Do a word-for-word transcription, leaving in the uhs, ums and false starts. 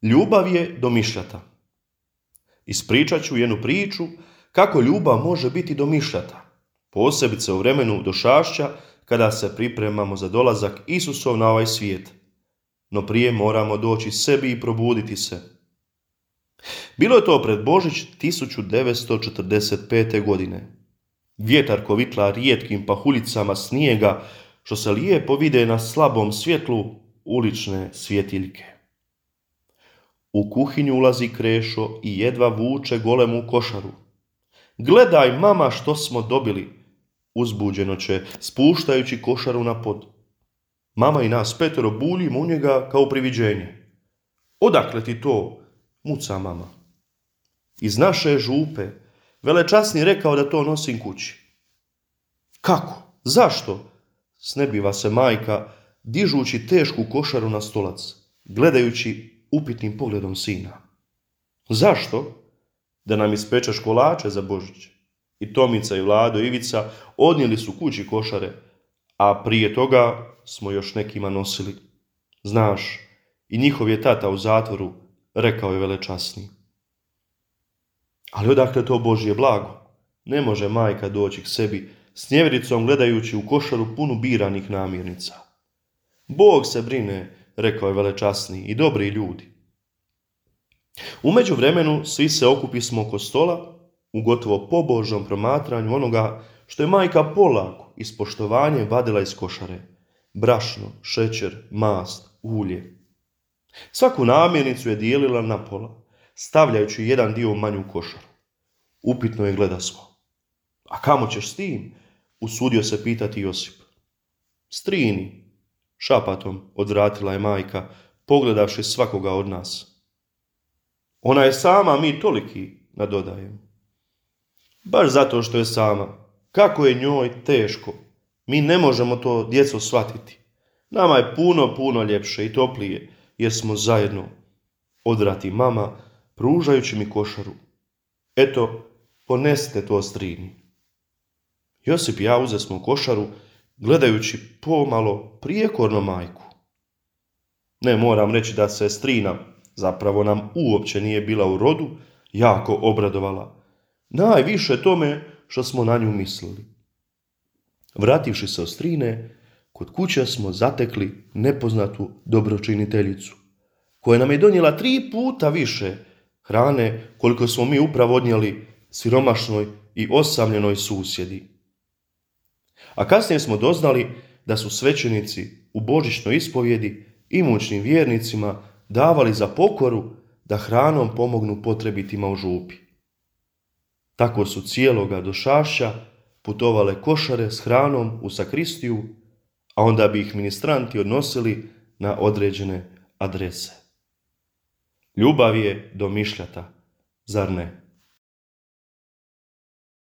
Ljubav je domišljata. Ispričat ću jednu priču kako ljubav može biti domišljata, posebice u vremenu došašća kada se pripremamo za dolazak Isusov na ovaj svijet. No prije moramo doći sebi i probuditi se. Bilo je to pred Božić tisuću devetsto četrdeset pete. godine. Vjetar kovitla rijetkim pahuljicama snijega što se lijepo vide na slabom svjetlu ulične svjetiljke. U kuhinju ulazi Krešo i jedva vuče golemu košaru. Gledaj, mama, što smo dobili, uzbuđeno će, spuštajući košaru na pod. Mama i nas petero buljimo u njega kao priviđenje. Odakle ti to, muca mama. Iz naše župe, velečasni rekao da to nosim kući. Kako? Zašto? Snebiva se majka, dižući tešku košaru na stolac, gledajući upitnim pogledom sina. Zašto? Da nam ispečeš kolače za Božić. I Tomica i Vlado i Ivica odnijeli su kući košare, a prije toga smo još nekima nosili. Znaš, i njihov je tata u zatvoru, rekao je velečasni. Ali odakle to Božje blago? Ne može majka doći k sebi s njevericom gledajući u košaru punu biranih namirnica. Bog se brine, rekao je velečasni, i dobri ljudi. U međuvremenu svi se okupismo oko stola u gotovo pobožnom promatranju onoga što je majka polako i s poštovanjem vadila iz košare. Brašno, šećer, mast, ulje. Svaku namirnicu je dijelila na pola, stavljajući jedan dio u manju košaru. Upitno je gledasmo. A kamo ćeš s tim? Usudio se pitati Josip. Strini, šapatom odvratila je majka, pogledavši svakoga od nas. Ona je sama, mi toliki, nadodajem. Baš zato što je sama. Kako je njoj teško. Mi ne možemo to, djeco, shvatiti. Nama je puno, puno ljepše i toplije, jer smo zajedno. Odvrati mama, pružajući mi košaru. Eto, ponesite to strini. Josip i ja uzesmo košaru, gledajući pomalo prijekorno majku. Ne moram reći da se strina, zapravo nam uopće nije bila u rodu, jako obradovala. Najviše tome što smo na nju mislili. Vrativši se od strine, kod kuće smo zatekli nepoznatu dobročiniteljicu, koja nam je donijela tri puta više hrane koliko smo mi upravo odnijeli siromašnoj i osamljenoj susjedi. A kasnije smo doznali da su svećenici u božićnoj ispovjedi imućnim vjernicima davali za pokoru da hranom pomognu potrebitima u župi. Tako su cijeloga došašća putovale košare s hranom u sakristiju, a onda bi ih ministranti odnosili na određene adrese. Ljubav je domišljata, zar ne?